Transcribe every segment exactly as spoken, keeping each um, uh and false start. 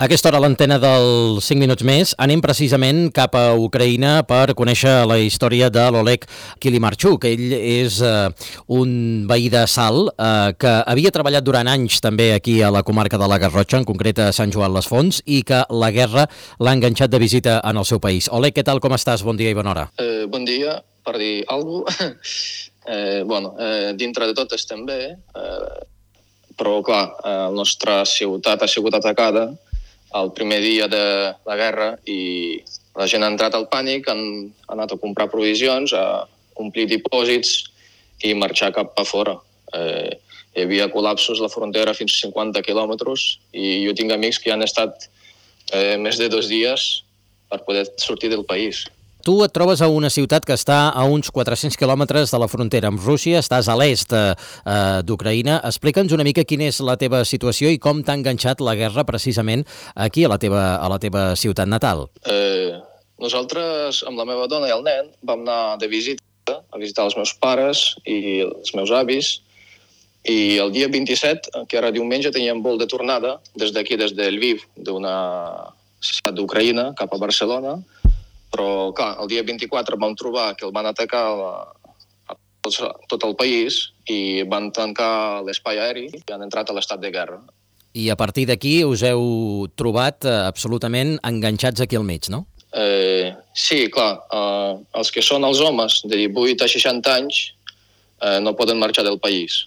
A aquesta hora, a l'antena dels cinc minuts més, anem precisament cap a Ucraïna per conèixer la història de l'Oleg Kilimarchuk. Ell és eh, un veí de Salt eh, que havia treballat durant anys també aquí a la comarca de la Garrotxa, en concret a Sant Joan les Fonts, i que la guerra l'ha enganxat de visita en el seu país. Oleg, què tal, com estàs? Bon dia i bona hora. Eh, bon dia, per dir alguna cosa. eh, bueno, eh, dintre de tot estem bé, eh, però clar, eh, la nostra ciutat ha sigut atacada el primer dia de la guerra i la gent ha entrat al pànic, han, han anat a comprar provisions, a omplir dipòsits i marxar cap a fora. Eh, hi havia col·lapsos a la frontera fins a cinquanta quilòmetres i jo tinc amics que han estat eh, més de dos dies per poder sortir del país. Tu et trobes a una ciutat que està a uns quatre-cents quilòmetres de la frontera amb Rússia, estàs a l'est eh, d'Ucraïna. Explica'ns una mica quina és la teva situació i com t'ha enganxat la guerra precisament aquí a la teva, a la teva ciutat natal. Eh, nosaltres, amb la meva dona i el nen, vam anar de visita a visitar els meus pares i els meus avis, i el dia vint-i-set, que era diumenge, teníem vol de tornada des d'aquí, des de Lviv, d'una ciutat d'Ucraïna, cap a Barcelona. Però, clar, el dia vint-i-quatre vam trobar que el van atacar a, a tot el país i van tancar l'espai aeri i han entrat a l'estat de guerra. I a partir d'aquí us heu trobat eh, absolutament enganxats aquí al mig, no? Eh, sí, clar. Eh, els que són els homes de divuit a seixanta anys eh, no poden marxar del país.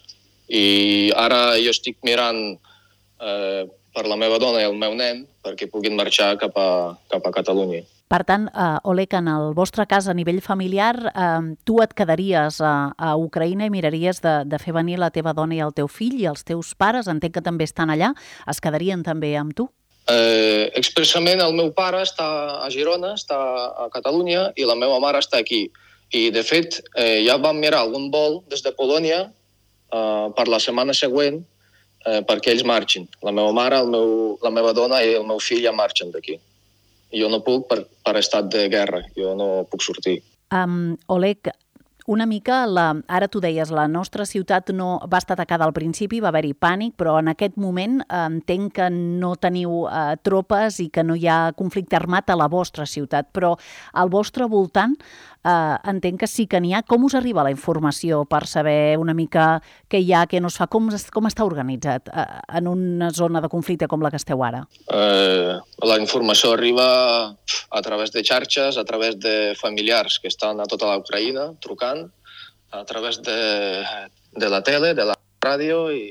I ara jo estic mirant eh, per la meva dona i el meu nen perquè puguin marxar cap a, cap a Catalunya. Per tant, uh, Oleg, en el vostre cas, a nivell familiar, uh, tu et quedaries a, a Ucraïna i miraries de, de fer venir la teva dona i el teu fill, i els teus pares, entenc que també estan allà, es quedarien també amb tu? Eh, expressament el meu pare està a Girona, està a Catalunya, i la meva mare està aquí. I, de fet, eh, ja vam mirar algun vol des de Polònia eh, per la setmana següent eh, perquè ells marxin. La meva mare, el meu, la meva dona i el meu fill ja marxen d'aquí. Jo no puc per, per estat de guerra, jo no puc sortir. Um, Oleg, una mica, la, ara tu deies, la nostra ciutat no va estar atacada al principi, va haver-hi pànic, però en aquest moment eh, entenc que no teniu eh, tropes i que no hi ha conflicte armat a la vostra ciutat, però al vostre voltant eh, entenc que sí que n'hi ha. Com us arriba la informació per saber una mica què hi ha, què no es fa? Com, com està organitzat eh, en una zona de conflicte com la que esteu ara? Eh, la informació arriba a través de xarxes, a través de familiars que estan a tota l'Ucraïna trucant, a través de, de la tele, de la ràdio i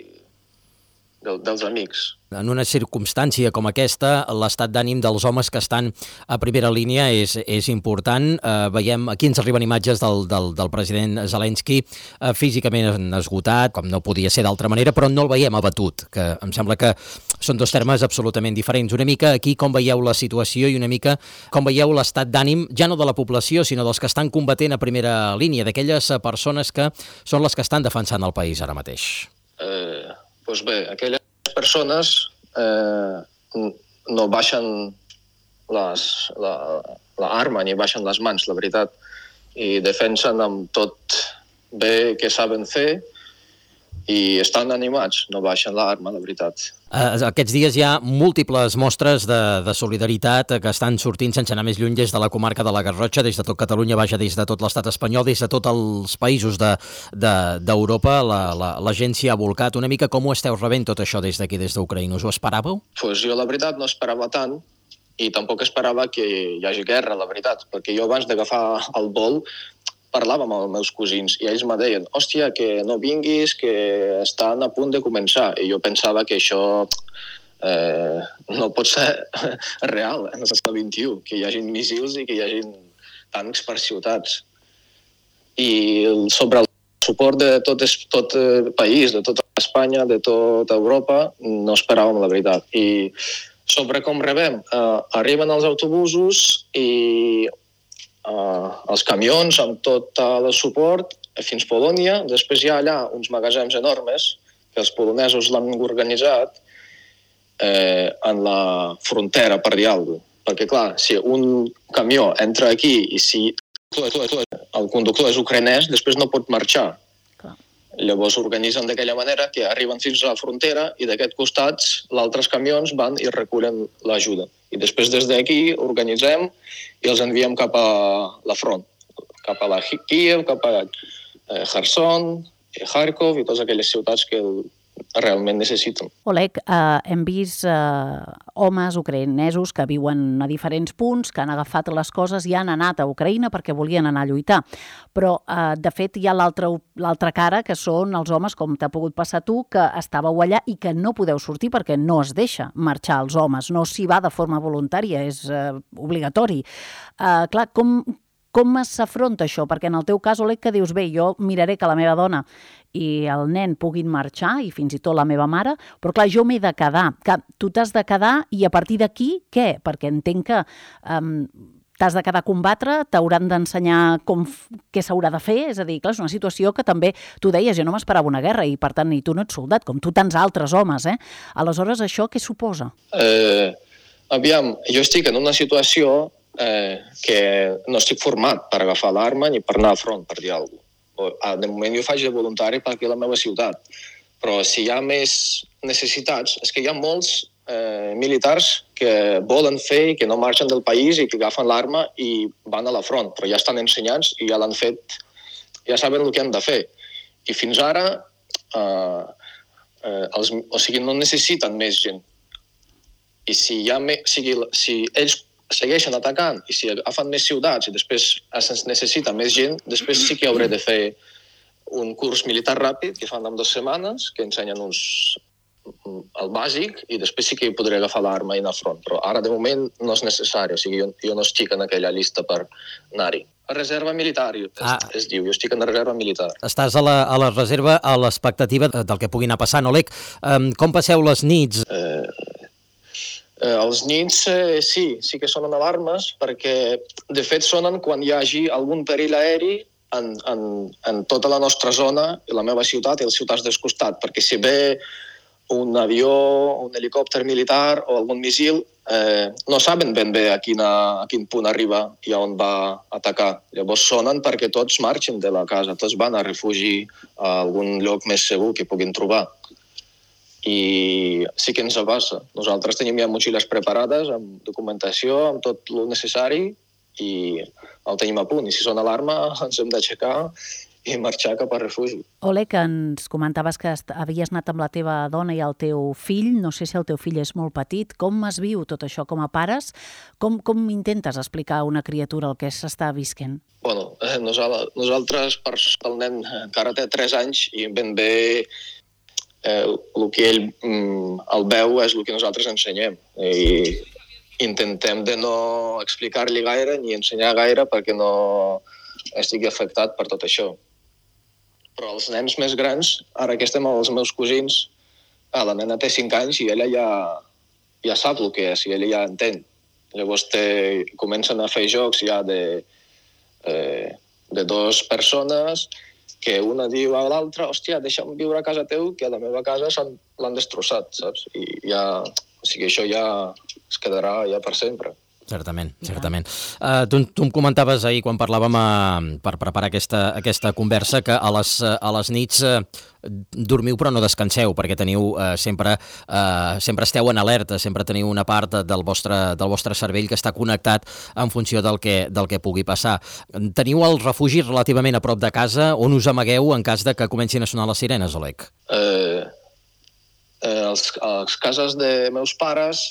de, dels amics. En una circumstància com aquesta, l'estat d'ànim dels homes que estan a primera línia és, és important. Eh, veiem, aquí ens arriben imatges del, del, del president Zelensky eh, físicament esgotat, com no podia ser d'altra manera, però no el veiem abatut, que em sembla que són dos termes absolutament diferents. Una mica aquí com veieu la situació i una mica com veieu l'estat d'ànim, ja no de la població, sinó dels que estan combatent a primera línia, d'aquelles persones que són les que estan defensant el país ara mateix. Eh, doncs bé, aquelles persones eh, no baixen les, la, la arma ni baixen les mans, la veritat, i defensen amb tot bé que saben fer i estan animats, no baixen l'arma, la veritat. Eh, aquests dies hi ha múltiples mostres de, de solidaritat que estan sortint sense anar més lluny des de la comarca de la Garrotxa, des de tot Catalunya, vaja, des de tot l'estat espanyol, des de tots els països d'Europa. De, de, la, la, la gent s'hi ha volcat. Una mica com ho esteu rebent tot això des d'aquí, des d'Ucraïna? Us ho esperàveu? Pues jo, la veritat, no esperava tant i tampoc esperava que hi hagi guerra, la veritat, perquè jo abans d'agafar el vol parlava amb els meus cosins i ells me deien, hòstia, que no vinguis, que estan a punt de començar. I jo pensava que això eh, no pot ser real en el segle vint-i-u, que hi hagi missils i que hi hagi tancs per ciutats. I sobre el suport de tot, tot el país, de tota Espanya, de tota Europa, no esperàvem la veritat. I sobre com rebem, eh, arriben els autobusos i Uh, els camions amb tot el suport fins a Polònia. Després hi ha allà uns magatzems enormes que els polonesos l'han organitzat eh, en la frontera, per dir alguna cosa. Perquè, clar, si un camió entra aquí i si el conductor és ucraïnès, després no pot marxar. Llavors organitzen d'aquella manera que arriben fins a la frontera i d'aquest costat els altres camions van i recullen l'ajuda. I després des d'aquí organitzem i els enviem cap a la front, cap a la Kiev, cap a Kherson, Kharkov i totes aquelles ciutats que realment necessiten. Oleg, eh, hem vist eh, homes ucraïnesos que viuen a diferents punts, que han agafat les coses i han anat a Ucraïna perquè volien anar a lluitar. Però, eh, de fet, hi ha l'altra cara, que són els homes, com t'ha pogut passar tu, que estàveu allà i que no podeu sortir perquè no es deixa marxar els homes. No s'hi va de forma voluntària, és eh, obligatori. Eh, clar, com... Com s'afronta això? Perquè en el teu cas, Oleg, que dius, bé, jo miraré que la meva dona i el nen puguin marxar, i fins i tot la meva mare, però clar, jo m'he de quedar. Que tu t'has de quedar i a partir d'aquí, què? Perquè entenc que um, t'has de quedar a combatre, t'hauran d'ensenyar com, què s'haurà de fer, és a dir, clar, és una situació que també, tu deies, jo no m'esperava una guerra i per tant ni tu no ets soldat, com tu tants altres homes, eh? Aleshores, això què suposa? Eh, aviam, jo estic en una situació Eh, que no estic format per agafar l'arma ni per anar a front, per dir alguna cosa. De moment jo faig de voluntari per aquí a la meva ciutat, però si hi ha més necessitats, és que hi ha molts eh, militars que volen fer i que no marxen del país i que agafen l'arma i van a la front, però ja estan ensenyats i ja l'han fet, ja saben el que han de fer. I fins ara, eh, eh, els, o sigui, no necessiten més gent. I si, hi ha me, o sigui, si ells segueixen atacant i si agafen més ciutats i després es necessita més gent, després sí que hauré de fer un curs militar ràpid que fan en dues setmanes, que ensenyen uns, el bàsic i després sí que podré agafar l'arma i anar a front. Però ara, de moment, no és necessari. O sigui, jo, jo no estic en aquella llista per anar-hi. A reserva militar, ah. es, es diu. Jo estic en la reserva militar. Estàs a la, a la reserva a l'expectativa del que pugui anar passant. Oleg, um, com passeu les nits? Eh... Eh, els nits eh, sí, sí que sonen alarmes perquè de fet sonen quan hi hagi algun perill aeri en, en, en tota la nostra zona, la meva ciutat i les ciutats del costat, perquè si ve un avió, un helicòpter militar o algun missil, eh, no saben ben bé a, quina, a quin punt arriba i a on va atacar. Llavors sonen perquè tots marxen de la casa, tots van a refugi a algun lloc més segur que puguin trobar. I sí que ens passa. Nosaltres tenim ja motxilles preparades, amb documentació, amb tot el necessari, i el tenim a punt. I si sona alarma, ens hem d'aixecar i marxar cap al refugi. Oleg, ens comentaves que havies anat amb la teva dona i el teu fill. No sé si el teu fill és molt petit. Com es viu tot això com a pares? Com, com intentes explicar a una criatura el que s'està visquent? Bueno, nosaltres, per el nen encara té tres anys i ben bé Eh, el que ell mm, el veu és el que nosaltres ensenyem i intentem de no explicar-li gaire ni ensenyar gaire perquè no estigui afectat per tot això. Però els nens més grans, ara que estem amb els meus cosins, ah, la nena té cinc anys i ella ja, ja sap el que és i ella ja entén. Llavors té, comencen a fer jocs ja de, eh, de dues persones que una diu a l'altra, hòstia, deixa'm viure a casa teu, que a la meva casa l'han destrossat, saps? I ja, o sigui, això ja es quedarà ja per sempre. Certament, certament. Uh, tu, tu em comentaves ahir, quan parlàvem uh, per preparar aquesta, aquesta conversa, que a les, uh, a les nits uh, dormiu però no descanseu, perquè teniu uh, sempre, uh, sempre esteu en alerta, sempre teniu una part del vostre, del vostre cervell que està connectat en funció del que, del que pugui passar. Teniu el refugi relativament a prop de casa, on us amagueu en cas de que comencin a sonar les sirenes, Oleg? Eh, eh, els, els cases de meus pares,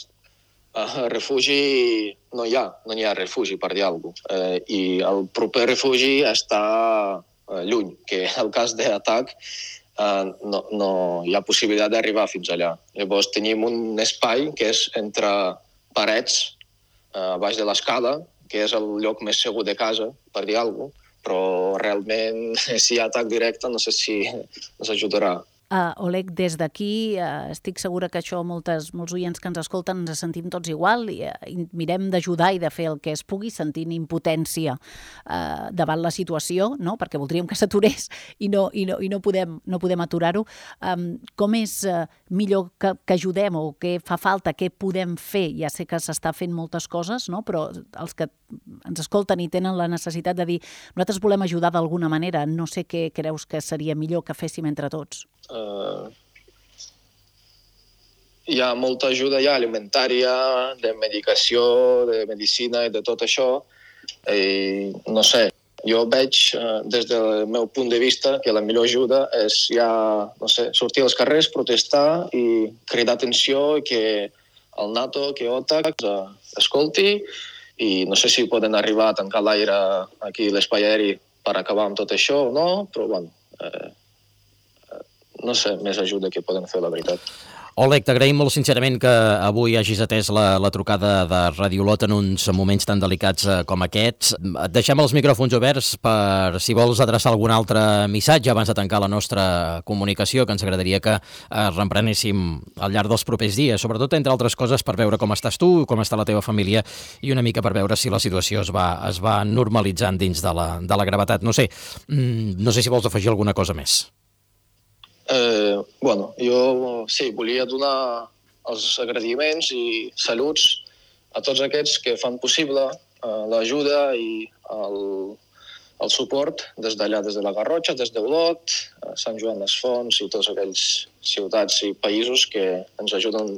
Uh, refugi no hi ha, no hi ha refugi, per dir alguna cosa. Uh, I el proper refugi està uh, lluny, que en el cas d'atac uh, no, no hi ha possibilitat d'arribar fins allà. Llavors tenim un espai que és entre parets, uh, baix de l'escala, que és el lloc més segur de casa, per dir alguna cosa, però realment si hi ha atac directe no sé si ens ajudarà. Uh, Oleg, des d'aquí uh, estic segura que això moltes, molts oients que ens escolten ens sentim tots igual i, uh, i mirem d'ajudar i de fer el que es pugui, sentint impotència uh, davant la situació, no? Perquè voldríem que s'aturés i no, i no, i no podem, no podem aturar-ho. Um, com és uh, millor que, que ajudem o què fa falta, què podem fer? Ja sé que s'està fent moltes coses, no? Però els que ens escolten i tenen la necessitat de dir nosaltres volem ajudar d'alguna manera, no sé què creus que seria millor que féssim entre tots? Uh, hi ha molta ajuda ja alimentària, de medicació, de medicina i de tot això. I no sé, jo veig eh, des del meu punt de vista que la millor ajuda és ja, no sé, sortir als carrers, protestar i cridar atenció i que el NATO, que OTAN eh, escolti i no sé si poden arribar a tancar l'aire aquí a l'espai aeri per acabar amb tot això o no, però bueno, eh, no sé, més ajuda que poden fer, la veritat. Oleg, t'agraïm molt sincerament que avui hagis atès la, la trucada de Radiolot en uns moments tan delicats eh, com aquests. Et deixem els micròfons oberts per si vols adreçar algun altre missatge abans de tancar la nostra comunicació, que ens agradaria que eh, reemprenéssim al llarg dels propers dies, sobretot entre altres coses per veure com estàs tu, com està la teva família i una mica per veure si la situació es va, es va normalitzant dins de la, de la gravetat. No sé, mm, no sé si vols afegir alguna cosa més. Eh, bueno, jo sí, volia donar els agraïments i saluts a tots aquests que fan possible eh, l'ajuda i el, el suport des d'allà, des de la Garrotxa, des d'Olot, Sant Joan les Fonts i tots aquells ciutats i països que ens ajuden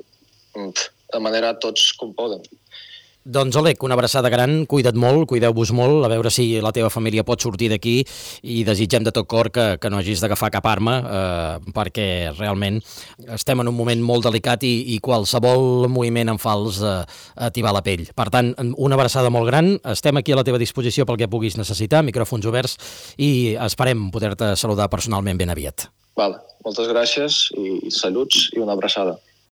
de manera tots com poden. Doncs, Oleg, una abraçada gran, cuida't molt, cuideu-vos molt, a veure si la teva família pot sortir d'aquí i desitgem de tot cor que, que no hagis d'agafar cap arma, eh, perquè realment estem en un moment molt delicat i, i qualsevol moviment en fals eh, t'hi va la pell. Per tant, una abraçada molt gran, estem aquí a la teva disposició pel que puguis necessitar, micròfons oberts, i esperem poder-te saludar personalment ben aviat. Vale, moltes gràcies i saluts i una abraçada.